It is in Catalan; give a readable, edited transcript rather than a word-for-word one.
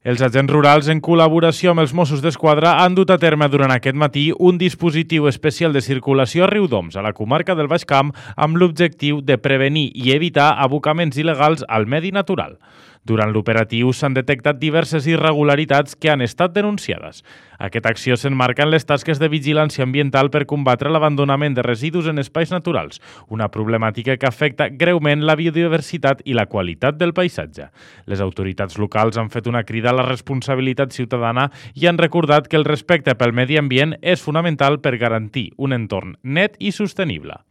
Els agents rurals, en col·laboració amb els Mossos d'Esquadra, han dut a terme durant aquest matí un dispositiu especial de circulació a Riudoms, a la comarca del Baix Camp, amb l'objectiu de prevenir i evitar abocaments il·legals al medi natural. Durant l'operatiu s'han detectat diverses irregularitats que han estat denunciades. Aquesta acció s'emmarca en les tasques de vigilància ambiental per combatre l'abandonament de residus en espais naturals, una problemàtica que afecta greument la biodiversitat i la qualitat del paisatge. Les autoritats locals han fet una crida a la responsabilitat ciutadana i han recordat que el respecte pel medi ambient és fonamental per garantir un entorn net i sostenible.